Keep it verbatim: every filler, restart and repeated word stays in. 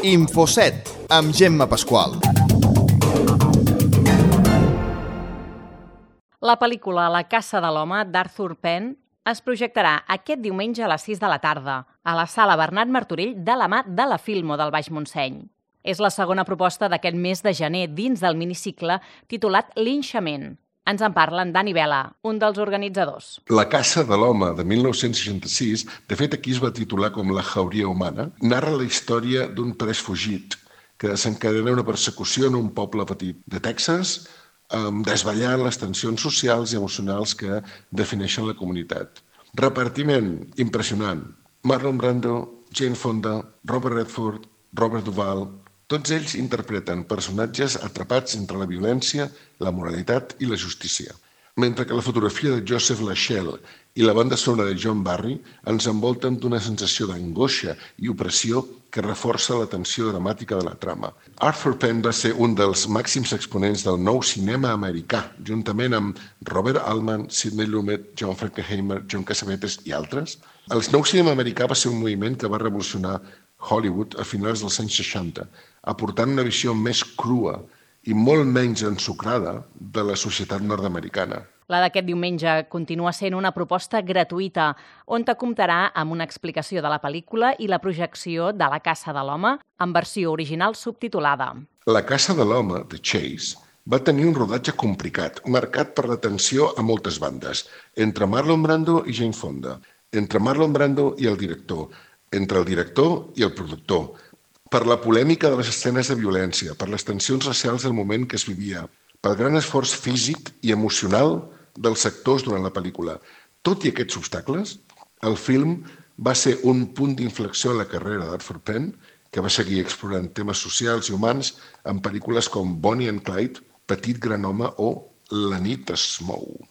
Infoset, amb Gemma Pasqual. La pel·lícula La caça de l'home d'Arthur Penn es projectarà aquest diumenge a les sis de la tarda a la sala Bernat Martorell de la mà de la Filmo del Baix Montseny. És la segona proposta d'aquest mes de gener dins del minicicle titulat Linxament. Ens en parla en Dani Vela, un dels organitzadors. La caça de l'home, de mil nou-cents seixanta-sis, de fet aquí es va titular com La jauria humana, narra la història d'un pres fugit que desencadena una persecució en un poble petit de Texas, desvetllant les tensions socials i emocionals que defineixen la comunitat. Repartiment impressionant. Marlon Brando, Jane Fonda, Robert Redford, Robert Duvall... Tots ells interpreten personatges atrapats entre la violència, la moralitat i la justícia. Mentre que la fotografia de Joseph Lachelle i la banda sonora de John Barry ens envolten d'una sensació d'angoixa i opressió que reforça la tensió dramàtica de la trama. Arthur Penn va ser un dels màxims exponents del nou cinema americà, juntament amb Robert Altman, Sidney Lumet, John Frankenheimer, John Cassavetes i altres. El nou cinema americà va ser un moviment que va revolucionar Hollywood a finals dels anys seixanta, aportant una visió més crua i molt menys ensucrada de la societat nord-americana. La d'aquest diumenge continua sent una proposta gratuïta, on te comptarà amb una explicació de la pel·lícula i la projecció de La caça de l'home en versió original subtitulada. La caça de l'home, The Chase, va tenir un rodatge complicat, marcat per la tensió a moltes bandes, entre Marlon Brando i Jane Fonda, entre Marlon Brando i el director, entre el director i el productor, per la polèmica de les escenes de violència, per les tensions racials del moment que es vivia, pel gran esforç físic i emocional dels actors durant la pel·lícula. Tot i aquests obstacles, el film va ser un punt d'inflexió en la carrera d'Arthur Penn, que va seguir explorant temes socials i humans en pel·lícules com Bonnie and Clyde, Petit gran home o La nit es mou.